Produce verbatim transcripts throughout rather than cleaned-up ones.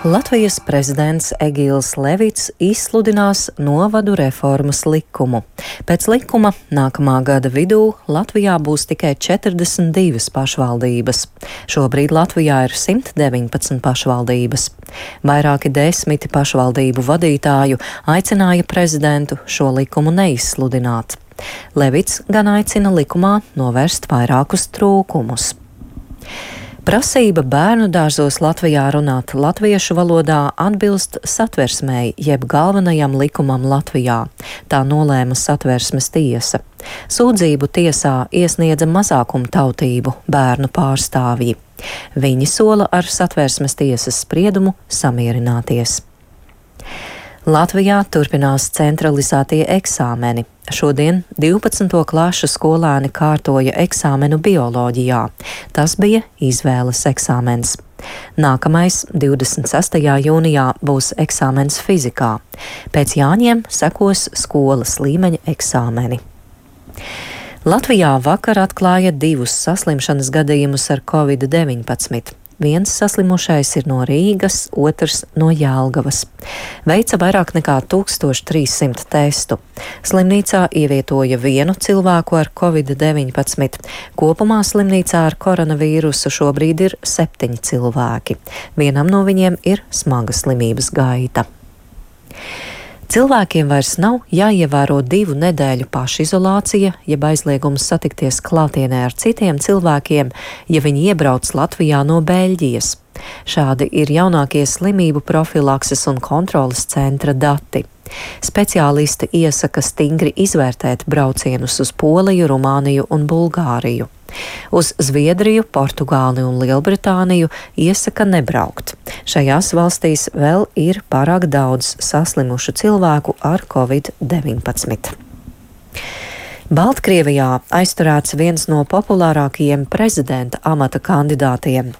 Latvijas prezidents Egils Levits izsludinās novadu reformas likumu. Pēc likuma nākamā gada vidū Latvijā būs tikai četrdesmit divas pašvaldības. Šobrīd Latvijā ir simt deviņpadsmit pašvaldības. Vairāki desmiti pašvaldību vadītāju aicināja prezidentu šo likumu neizsludināt. Levits gan aicina likumā novērst vairākus trūkumus. Prasība bērnu dārzos Latvijā runāt latviešu valodā atbilst satversmei, jeb galvenajam likumam Latvijā. Tā nolēma satversmes tiesa. Sūdzību tiesā iesniedza mazākumtautību bērnu pārstāvji. Viņi sola ar satversmes tiesas spriedumu samierināties. Latvijā turpinās centralizētie eksāmeni. Šodien divpadsmito klašu skolēni kārtoja eksāmenu bioloģijā. Tas bija izvēles eksāmens. Nākamais, divdesmit sestajā jūnijā, būs eksāmens fizikā. Pēc Jāņiem sekos skolas līmeņa eksāmeni. Latvijā vakar atklāja divus saslimšanas gadījumus ar covid deviņpadsmit. Viens saslimušais ir no Rīgas, otrs no Jelgavas. Veica vairāk nekā tūkstoš trīssimt testu. Slimnīcā ievietoja vienu cilvēku ar covid deviņpadsmit. Kopumā slimnīcā ar koronavīrusu šobrīd ir septiņi cilvēki. Vienam no viņiem ir smaga slimības gaita. Cilvēkiem vairs nav jāievēro divu nedēļu pašizolācija, jeb aizliegums satikties klātienē ar citiem cilvēkiem, ja viņi iebrauc Latvijā no Beļģijas. Šādi ir jaunākie slimību profilakses un kontroles centra dati. Speciālisti iesaka stingri izvērtēt braucienus uz Poliju, Rumāniju un Bulgāriju. Uz Zviedriju, Portugāli un Lielbritāniju iesaka nebraukt. Šajās valstīs vēl ir pārāk daudz saslimušu cilvēku ar covid deviņpadsmit. Baltkrievijā aizturēts viens no populārākajiem prezidenta amata kandidātiem.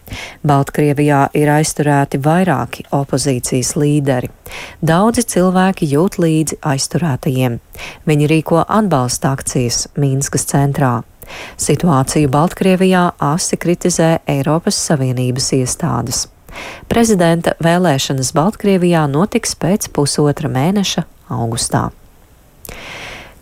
Baltkrievijā ir aizturēti vairāki opozīcijas līderi. Daudzi cilvēki jūt līdzi aizturētajiem. Viņi rīko atbalsta akcijas Mīnskas centrā. Situāciju Baltkrievijā asi kritizē Eiropas Savienības iestādes. Prezidenta vēlēšanas Baltkrievijā notiks pēc pusotra mēneša augustā.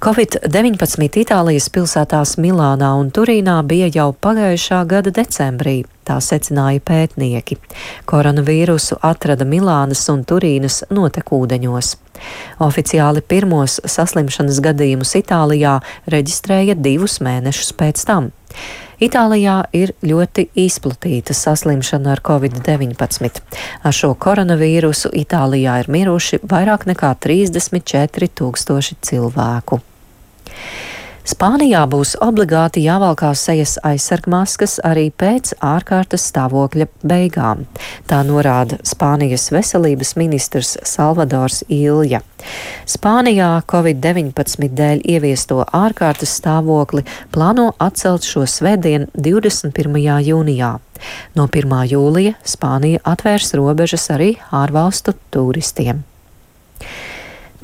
covid deviņpadsmit Itālijas pilsētās Milānā un Turīnā bija jau pagājušā gada decembrī, tā secināja pētnieki. Koronavīrusu atrada Milānas un Turīnas notekūdeņos. Oficiāli pirmos saslimšanas gadījumus Itālijā reģistrēja divus mēnešus pēc tam. Itālijā ir ļoti izplatīta saslimšana ar covid deviņpadsmit. Ar šo koronavīrusu Itālijā ir miruši vairāk nekā trīsdesmit četri tūkstoši cilvēku. Spānijā būs obligāti jāvalkā sejas aizsargmaskas arī pēc ārkārtas stāvokļa beigām. Tā norāda Spānijas veselības ministrs Salvadors Ilja. Spānijā covid deviņpadsmit dēļ ieviesto ārkārtas stāvokli plāno atcelt šo svētdienu divdesmit pirmajā jūnijā. No pirmā jūlija Spānija atvērs robežas arī ārvalstu turistiem.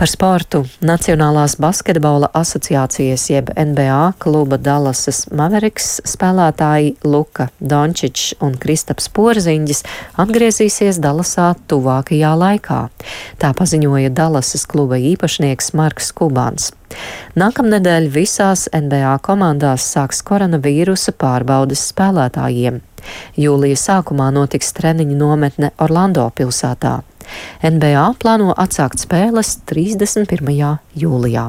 Par sportu Nacionālās basketbola asociācijas jeb N B A kluba Dallasas Mavericks spēlētāji Luka Dončičs un Kristaps Porziņģis atgriezīsies Dallasā tuvākajā laikā. Tā paziņoja Dallasas kluba īpašnieks Marks Kubans. Nākamnedēļ visās N B A komandās sāks koronavīrusa pārbaudes spēlētājiem. Jūlija sākumā notiks treniņu nometne Orlando pilsētā. N B A plāno atsākt spēles trīsdesmit pirmajā jūlijā.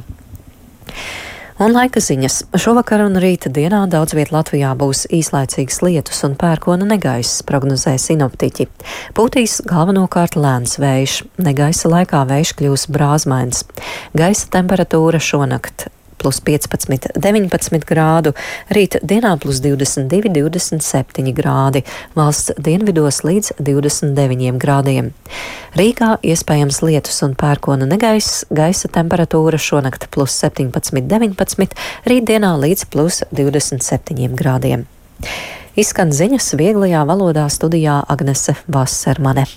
Un laika ziņas. Šovakar un rīta dienā daudz viet Latvijā būs īslaicīgas lietus un pērkona negaiss, prognozē sinoptiķi. Pūtīs galvenokārt lēns vējš. Negaisa laikā vējš kļūs brāzmains. Gaisa temperatūra šonakt plus piecpadsmit, deviņpadsmit grādu, rīt dienā plus divdesmit divi, divdesmit septiņi grādi, valsts dienvidos līdz divdesmit deviņiem grādiem. Rīgā iespējams lietus un pērkona negaiss, gaisa temperatūra šonakt plus septiņpadsmit, deviņpadsmit, rīt dienā līdz plus divdesmit septiņiem grādiem. Izskan ziņas vieglajā valodā studijā Agnese Vasermane.